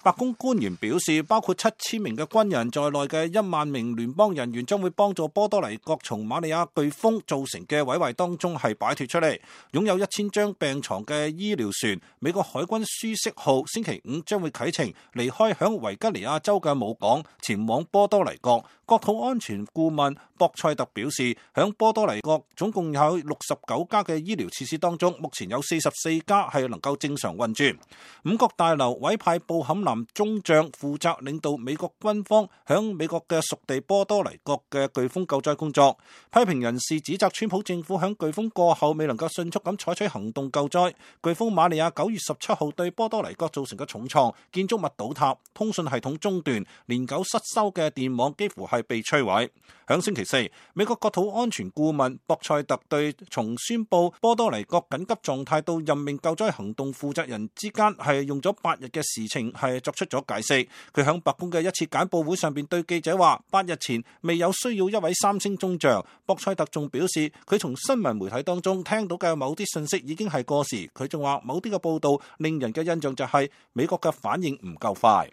白宮官員表示，包括7000名嘅軍人在內嘅1萬名聯邦人員將會幫助波多黎各從馬里亞颶風造成嘅毀壞當中係擺脫出嚟。擁有1000張病床嘅醫療船美國海軍舒適號星期5將會啟程離開響維吉尼亞州嘅母港，前往波多黎各。國土安全顧問博塞特表示，響波多黎各總共有69家嘅醫療設施當中，目前有44家係能夠正常運轉。五角大樓委派布坎南中將負責領導美國軍方響美國嘅屬地波多黎各嘅颶風救災工作。批評人士指責川普政府響颶風過後未能夠迅速咁採取行動救災。颶風瑪利亞9月17號對波多黎各造成嘅重創，建築物倒塌，通訊系統中斷，年久失修嘅電網幾乎係被摧毀。響星期4，美國國土安全顧問博塞特對從宣布波多黎各緊急狀態到任命救災行動負責人之間係用咗8日嘅事情係作出咗解釋。佢響白宮嘅一次簡報會上邊對記者話，8日前未有需要一位3星中將。博塞特仲表示，佢從新聞媒體當中聽到嘅某啲信息已經係過時。佢仲話某啲嘅報道令人嘅印象就係美國嘅反應唔夠快。